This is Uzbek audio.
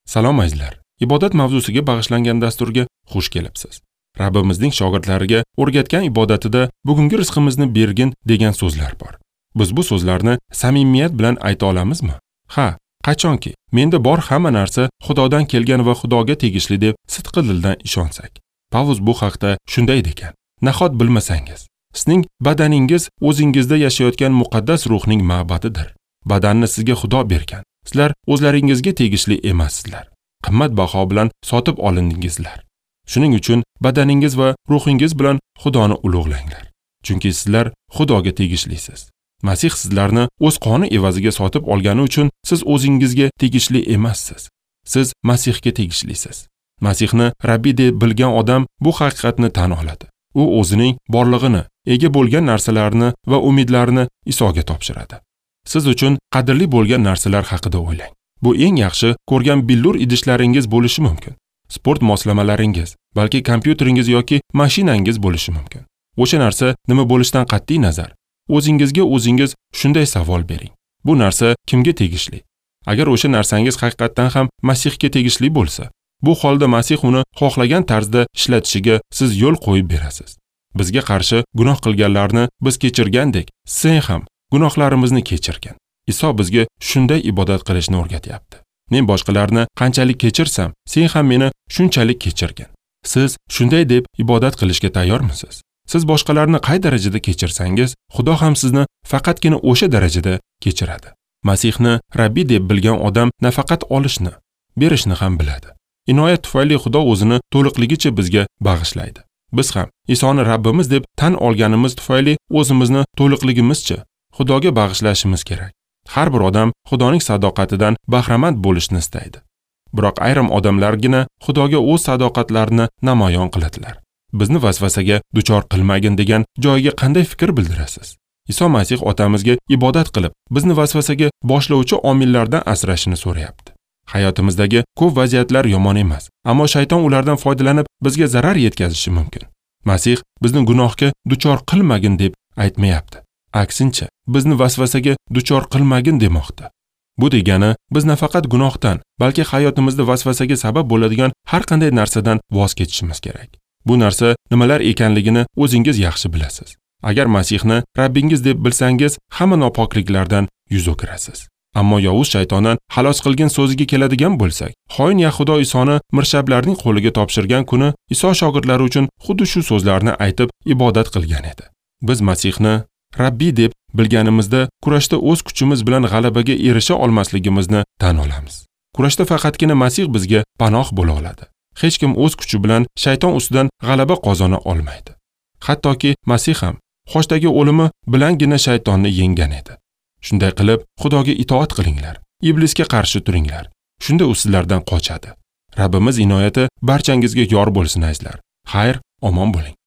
Salom azizlar. Ibodat mavzusiga bag'ishlangan dasturga xush kelibsiz. Rabbimizning shogirdlariga o'rgatgan ibodatida bugungi rizqimizni bergin degan so'zlar bor. Biz bu so'zlarni samimiyat bilan ayta olamizmi? Ha, qachonki menda bor hamma narsa Xudodan kelgan va Xudoga tegishli deb sidqi dildan ishonsak. Pavlus bu haqda shunday degan: Nahot bilmasangiz, sizning badaningiz o'zingizda yashayotgan muqaddas ruhning ma'badidir. Badanni sizga Xudo bergan. Sizlar o'zlaringizga tegishli emassizlar. Qimmat baho bilan sotib olindingizlar. Shuning uchun badaningiz va ruhingiz bilan Xudoni ulug'langlar. Chunki sizlar Xudoga tegishlisiz. Masih sizlarni o'z qoni evaziga sotib olgani uchun siz o'zingizga tegishli emassiz. Siz Masihga tegishlisiz. Masihni Rabbi deb bilgan odam bu haqiqatni tan oladi. U o'zining borlig'ini, ega bo'lgan narsalarini va umidlarini Isoga topshiradi. Siz uchun qadrli bo'lgan narsalar haqida o'ylang. Bu eng yaxshi ko'rgan billur idishlaringiz bo'lishi mumkin. Sport moslamalaringiz, balki kompyuteringiz yoki mashinangiz bo'lishi mumkin. O'sha narsa nima bo'lishidan qat'iy nazar, o'zingizga o'zingiz shunday savol bering. Bu narsa kimga tegishli? Agar o'sha narsangiz haqiqatdan ham Masihga tegishli bo'lsa, bu holda Masih uni xohlagan tarzda ishlatishiga siz yo'l qo'yib berasiz. Bizga qarshi gunoh qilganlarni biz kechirgandek, sen ham gunohlarimizni kechirgin. Iso bizga shunday ibodat qilishni o'rgatyapti. Men boshqalarni qanchalik kechirsam, sen ham meni shunchalik kechirgin. Siz shunday deb ibodat qilishga tayyormisiz? Siz boshqalarni qay darajada kechirsangiz, Xudo ham sizni faqatgina o'sha darajada kechiradi. Masihni Rabbi deb bilgan odam nafaqat olishni, berishni ham biladi. Inoyat tufayli Xudo o'zini to'liqligicha bizga bag'ishlaydi. Biz ham Isoni Rabbimiz deb tan olganimiz tufayli o'zimizni to'liqligimizcha Xudoga bag'ishlashimiz kerak. Har bir odam Xudoning sadoqatidan bahramand bo'lishni istaydi. Biroq ayrim odamlargina Xudoga o'z sadoqatlarini namoyon qiladilar. Bizni vasvasaga duchor qilmagin degan joyiga qanday fikr bildirasiz? Iso Masih otamizga ibodat qilib, bizni vasvasaga boshlovchi omillardan asrashini so'rayapti. Hayotimizdagi ko'p vaziyatlar yomon emas, ammo shayton ulardan foydalanib bizga zarar yetkazishi mumkin. Masih bizni gunohga duchor qilmagin deb aytmayapti. Aksincha, bizni vasvasaga duchor qilmagin demoqda. Bu degani biz nafaqat gunohdan, balki hayotimizda vasvasaga sabab bo'ladigan har qanday narsadan voz kechishimiz kerak. Bu narsa nimalar ekanligini o'zingiz yaxshi bilasiz. Agar Masihni Rabbingiz deb bilsangiz, hamma nopokliklardan yuz o'girasiz. Ammo yovuz shaytondan xalos qilgan so'ziga keladigan bo'lsak, xoin Yahudo Isoni mirshablarning qo'liga topshirgan kuni Iso shogirdlari uchun xuddi shu so'zlarni aytib ibodat qilgan edi. Biz Masihni Rabbi deb bilganimizda kurashda o'z kuchimiz bilan g'alabaga erisha olmasligimizni tan olamiz. Kurashda faqatgina Masih bizga panoh bo'la oladi. Hech kim o'z kuchi bilan shayton ustidan g'alaba qozona olmaydi. Hattoki Masih ham xochdagi o'limi bilangina shaytonni yenggan edi. Shunday qilib, Xudoga itoat qilinglar, iblisga qarshi turinglar. Shunda u sizlardan qochadi. Rabbimiz inoyati barchangizga yor bo'lsin azizlar. Xayr, omon bo'ling.